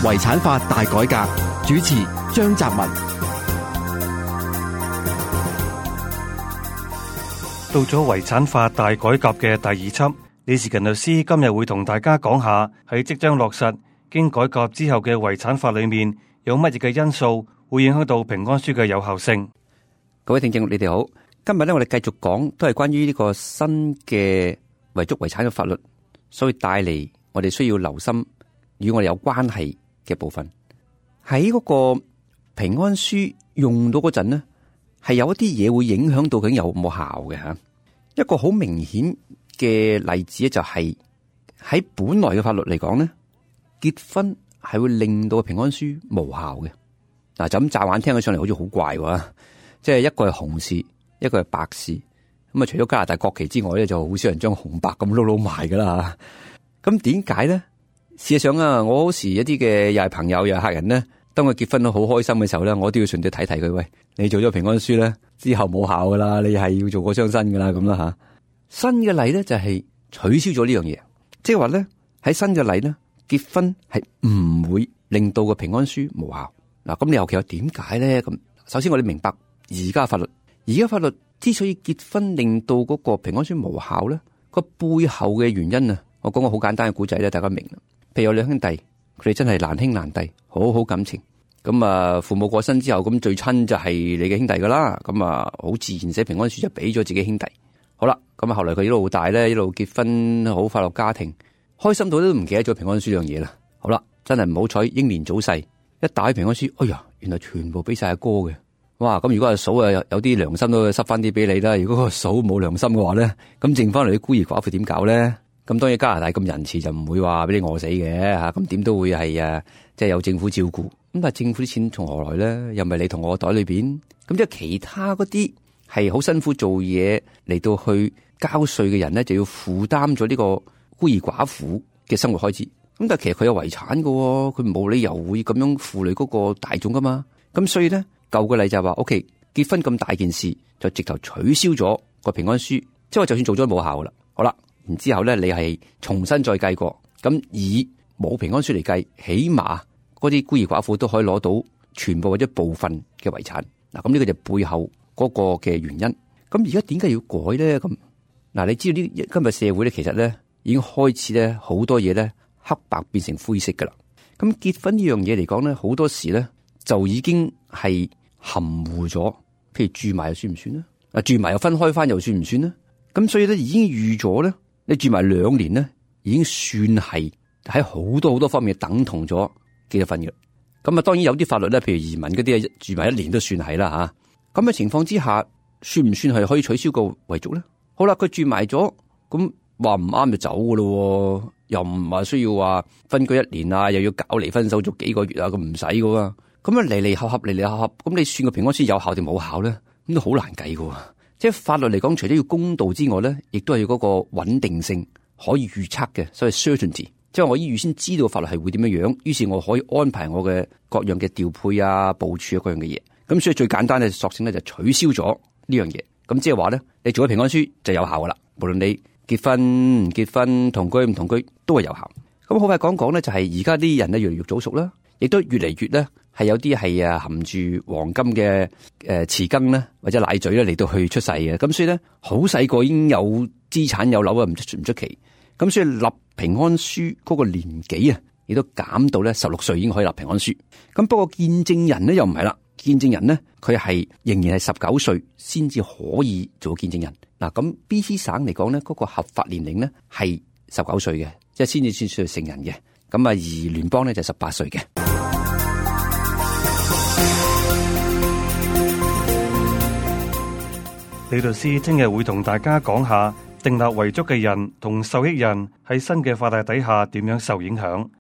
遺產法大改革，主持張澤文。到咗遺產法大改革嘅第二輯，李時勤律師今日會同大家講下喺即將落實經改革之後嘅遺產法裏面有乜嘢嘅因素會影響到平安書嘅有效性。各位聽眾，你哋好。今日咧，我哋繼續講都係關於呢個新嘅遺囑遺產嘅法律，所以帶嚟我哋需要留心與我哋有關係嘅部分。喺嗰個平安書用到嗰陣呢，係有一啲嘢會影響到究竟有冇效嘅吓。一個好明顯嘅例子咧，就係喺本來嘅法律嚟講咧，結婚係會令到平安書無效嘅。嗱，就咁乍眼聽起上嚟好似好怪喎，即係一個係紅事，一個係白事。咁啊，除咗加拿大國旗之外咧，就好少人將紅白咁撈埋噶啦。咁點解咧？事實上啊，我好時一啲嘅又係朋友又係客人咧，當佢結婚都好開心嘅時候咧，我都要順便睇睇佢。喂，你做咗平安書咧，之後冇效噶啦，你係要做過雙身噶啦咁啦吓。新嘅例咧就係取消咗呢樣嘢，即係話咧喺新嘅例咧，結婚係唔會令到個平安書無效。嗱，咁你尤其有點解咧？咁首先我哋明白而家法律之所以結婚令到嗰個平安書無效咧，個背後嘅原因啊，我講個好簡單嘅古仔咧，大家明啦。譬如有兩兄弟，佢哋真係難兄難弟，好好感情。咁啊，父母過身之後，咁最親就係你嘅兄弟噶啦。咁啊，好自然寫平安書就俾咗自己兄弟。好啦，咁啊，後來佢一路大咧，一路結婚，好快樂家庭，開心到都唔記得咗平安書呢樣嘢啦。好啦，真係唔好彩，英年早逝，一打開平安書，哎呀，原來全部俾晒阿哥嘅。哇！咁如果阿嫂啊有啲良心都塞翻啲俾你啦。如果個嫂冇良心嘅話咧，咁剩翻嚟啲孤兒寡婦點搞咧？咁當然加拿大咁仁慈就唔會話俾你餓死嘅吓，咁點都會係即係有政府照顧。咁但係政府啲錢從何來咧？又唔係你同我袋裏邊。咁即係其他嗰啲係好辛苦做嘢嚟到去交稅嘅人咧，就要負擔咗呢個孤兒寡婦嘅生活開支。咁但係其實佢有遺產嘅，佢冇理由會咁樣負累嗰個大眾噶嘛。咁所以咧，舊嘅例就係話，OK， 結婚咁大件事就直頭取消咗個平安書，即係話就算做咗冇效噶啦。好啦。然之後咧，你係重新再計過，咁以冇平安書嚟計，起碼嗰啲孤兒寡婦都可以攞到全部或者部分嘅遺產。嗱，咁呢個就背後嗰個嘅原因。咁而家點解要改咧？咁嗱，你知道呢今日社會咧，其實咧已經開始咧好多嘢咧黑白變成灰色噶啦。咁結婚呢樣嘢嚟講咧，好多時咧就已經係含糊咗。譬如住埋又算唔算咧？啊，住埋又分開翻又算唔算咧？咁所以咧已經預咗咧。你住埋2年咧，已經算係喺好多方面等同咗結咗婚嘅。咁啊，當然有啲法律咧，譬如移民嗰啲住埋1年都算係啦吓。咁嘅情況之下，算唔算係可以取消個遺囑咧？好啦，佢住埋咗，咁話唔啱就走噶咯，又唔話需要話分居1年啊，又要搞離婚手續幾個月啊，咁唔使噶喎。咁啊離合，咁你算個平安書有效定冇效咧？咁都好難計噶。即係法律嚟講，除咗要公道之外咧，亦都係要嗰個穩定性可以預測嘅，所謂 certainty。即係我預先知道法律係會點樣樣，於是我可以安排我嘅各樣嘅調配啊、部署啊各樣嘅嘢。咁所以最簡單嘅索性咧就取消咗呢樣嘢。咁即係話咧，你做咗平安書就有效噶啦。無論你結婚唔結婚、同居唔同居，都係有效。咁好快講咧，就係而家啲人咧越嚟越早熟啦，亦都越嚟越咧。係有啲係含住黃金嘅匙羹咧，或者奶嘴咧嚟到去出世嘅，咁所以咧好細個已經有資產有樓啊，唔出奇。咁所以立平安書嗰個年紀啊，亦都減到咧16歲已經可以立平安書。咁不過見證人咧又唔係啦，見證人咧佢係仍然係19歲先至可以做見證人。嗱，咁 BC 省嚟講咧，嗰個合法年齡咧係19歲嘅，即係先至算成人嘅。咁啊，而聯邦咧就18歲嘅。李律師聽日會同大家講下訂立遺囑嘅人同受益人喺新嘅法例底下點樣受影響。